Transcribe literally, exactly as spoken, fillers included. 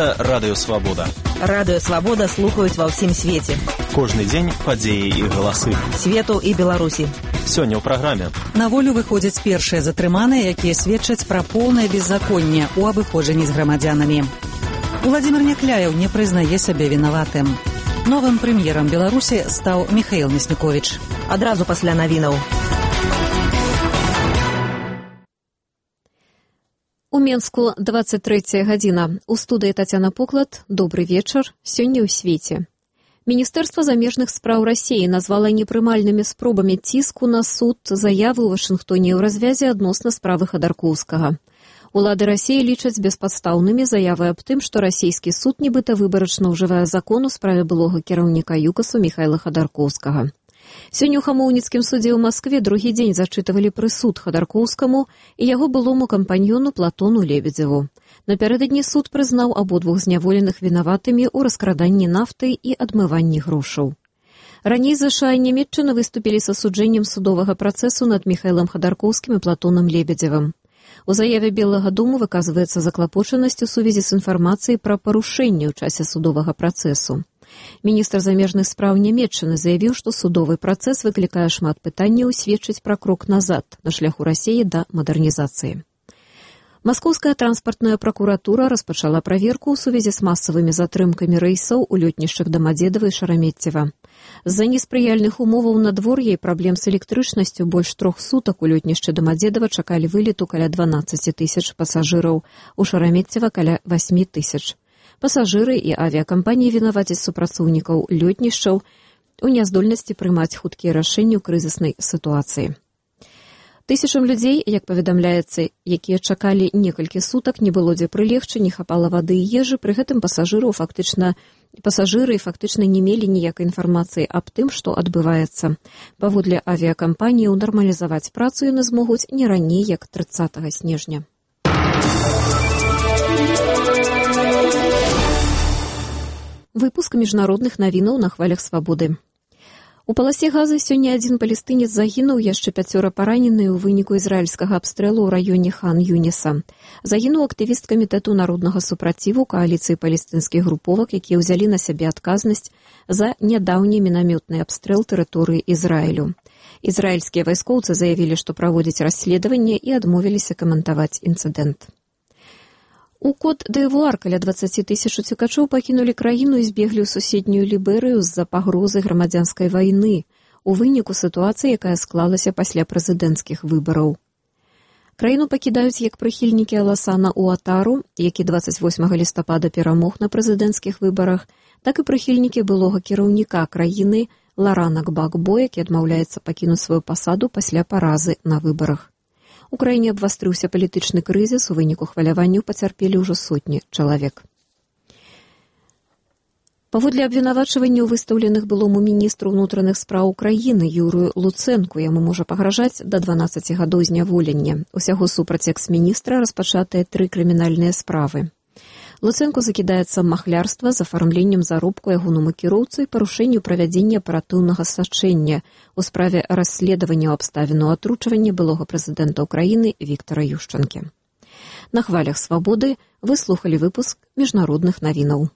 Гэта Радыё Свабода. Радыё Свабода слухаюць ва ўсім свеце. Кожны дзень падзеі і галасы. Свету і Беларусі. Сёння ў праграме. На волю выходзяць першыя затрыманыя, якія сведчаць пра поўнае беззаконне ў абыходжанні з грамадзянамі. Уладзімір Някляеў не прызнае сябе вінаватым. Новым прэм'ерам Беларусі стаў Міхаіл Мясніковіч. Адразу пасля навінаў. У Менску двадцать третья гадзіна. У студыі Тацяна Поклад. Добры вечар. Сёння ў свеце. Міністэрства замежных спраў Расіі назвала непрымальнымі спробамі ціску на суд заявы ў Вашынгтоне ў развязе адносна справы Хадаркоўскага. Улады Расіі лічаць беспадстаўнымі заявы аб тым, што расійскі суд нібыта выбарачна ўжывае закон у справе былога кіраўніка ЮКАСу Міхайла Хадаркоўскага. Сёння ў Хамоўніцкім судзе ў Маскве другі дзень зачытывалі прысуд Хадаркоўскаму і яго былому кампаньёну Платону Лебедзеву. Напярэдадні суд прызнаў абодвух зняволеных вінаватымі ў раскраданні нафты і адмыванні грошаў. Раней ЗША і Нямецчына выступілі з асуджэннем судовага працэсу над Міхайлам Хадаркоўскім і Платонам Лебедзевым. У заяве Белага дому выказваецца заклапочанасць у сувязі з інфармацыяй пра парушэнне ў часе судовага працэсу. Міністр замежных спраў Нямецчыны заявіў, што судовы працэс выклікае шмат пытанняў і сведчыць пра крок назад на шляху Расіі да мадэрнізацыі. Маскоўская транспартная пракуратура распачала праверку ў сувязі з масавымі затрымкамі рэйсаў у лётнішчах Дамадзедава і Шарамеццева. З-за неспрыяльных умоваў надвор'я і праблем з электрычнасцю больш трох сутак у лётнішчы Дамадзедава чакалі вылету каля дванаццаць тысяч пасажыраў, у Шарамеццева каля восемь тысяч. Пасажыры і авіякампаніі вінавацяць супрацоўнікаў лётнішчаў у няздольнасці прымаць хуткія рашэнні ў крызіснай сітуацыі. Тысячам людзей, як паведамляецца, якія чакалі некалькі сутак, не было дзе прылегчы, не хапала вады і ежы, пры гэтым пасажыраў фактычна пасажыры фактычна не мелі ніякай інфармацыі аб тым, што адбываецца. Паводле авіякампаніяў нармалізаваць працу яны змогуць не раней, як трыццатага снежня. Выпуск міжнародных навінаў на хвалях свабоды. У паласе Газы сёння адзін палестынец загінуў, яшчэ пяцёра паранены ў выніку ізраільскага абстрэлу ў раёне Хан-Юніса. Загінуў актывіст камітэту народнага супраціву кааліцыі палестынскіх груповак, якія ўзялі на сябе адказнасць за нядаўні мінамётны абстрэл тэрыторыі Ізраілю. Ізраільскія вайскоўцы заявілі, што праводзяць расследаванне і адмовіліся каментаваць інцыдэнт. У Кот-д'Івуар каля дваццаць тысяч уцекачоў пакінулі краіну і збеглі ў суседнюю Ліберыю з-за пагрозы грамадзянскай вайны у выніку сітуацыі, якая склалася пасля прэзідэнцкіх выбараў. Краіну пакідаюць як прыхільнікі Аласана Уатару, які дваццаць восьмага лістапада перамог на прэзідэнцкіх выбарах, так і прыхільнікі былога кіраўніка краіны Ларана Гбагбо, які адмаўляецца пакінуць сваю пасаду пасля паразы на выбарах. У краіне абвастрыўся палітычны крызіс, у выніку хваляванняў пацярпелі ўжо сотні чалавек. Паводле абвінавачванняў, выстаўленых былому міністру ўнутраных спраў краіны Юрыю Луцэнку, яму можа пагражаць да дванаццаці гадоў зняволення. Усяго супраць экс-міністра распачатыя тры крымінальныя справы. Луцэнку закідаецца махлярства з афармленнем заробку ягонаму кіроўцу і парушэнню правядзення аператыўнага сачэння у справе расследавання абставінаў атручвання былога прэзідэнта ўкраіны Віктара Юшчанкі. На хвалях свабоды вы слухалі выпуск міжнародных навінаў.